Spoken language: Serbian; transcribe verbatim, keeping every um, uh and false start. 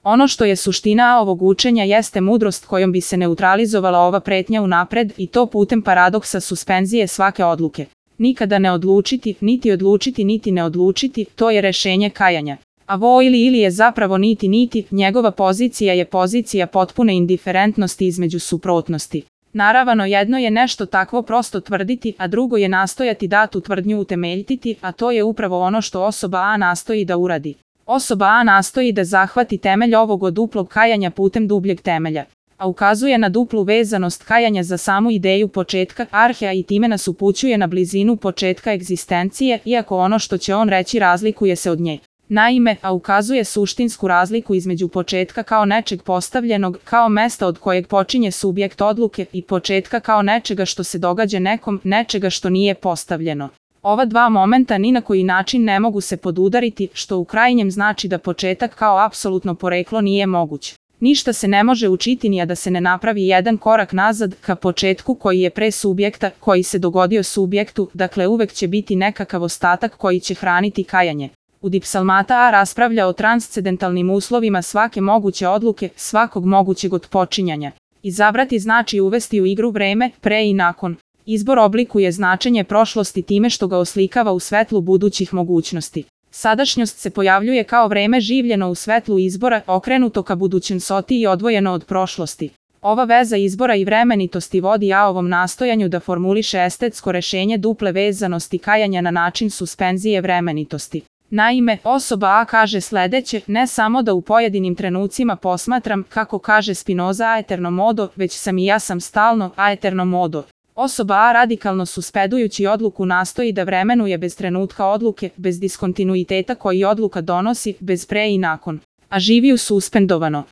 Ono što je suština ovog učenja jeste mudrost kojom bi se neutralizovala ova pretnja unapred i to putem paradoksa suspenzije svake odluke. Nikada ne odlučiti, niti odlučiti, niti ne odlučiti, to je rešenje kajanja. A vo ili ili je zapravo niti niti, njegova pozicija je pozicija potpune indiferentnosti između suprotnosti. Naravno, jedno je nešto takvo prosto tvrditi, a drugo je nastojati datu tvrdnju utemeljiti, a to je upravo ono što osoba A nastoji da uradi. Osoba A nastoji da zahvati temelj ovog od duplog kajanja putem dubljeg temelja, a ukazuje na duplu vezanost kajanja za samu ideju početka arhea i time nas upućuje na blizinu početka egzistencije, iako ono što će on reći razlikuje se od nje. Naime, a ukazuje suštinsku razliku između početka kao nečeg postavljenog, kao mesta od kojeg počinje subjekt odluke, i početka kao nečega što se događa nekom, nečega što nije postavljeno. Ova dva momenta ni na koji način ne mogu se podudariti, što u krajnjem znači da početak kao apsolutno poreklo nije moguć. Ništa se ne može učiti ni a da se ne napravi jedan korak nazad ka početku koji je pre subjekta, koji se dogodio subjektu, dakle uvek će biti nekakav ostatak koji će hraniti kajanje. U Dipsalmata A raspravlja o transcendentalnim uslovima svake moguće odluke, svakog mogućeg otpočinjanja. Izabrati znači uvesti u igru vreme, pre i nakon. Izbor oblikuje značenje prošlosti time što ga oslikava u svetlu budućih mogućnosti. Sadašnjost se pojavljuje kao vreme življeno u svetlu izbora, okrenuto ka budućnosti i odvojeno od prošlosti. Ova veza izbora i vremenitosti vodi A ovom nastojanju da formuliše estetsko rešenje duple vezanosti kajanja na način suspenzije vremenitosti. Naime, osoba A kaže sledeće, ne samo da u pojedinim trenucima posmatram, kako kaže Spinoza aeterno modo, već sam i ja sam stalno aeterno modo. Osoba A radikalno suspedujući odluku nastoji da vremenuje bez trenutka odluke, bez diskontinuiteta koji odluka donosi, bez pre i nakon, a živi u suspendovano.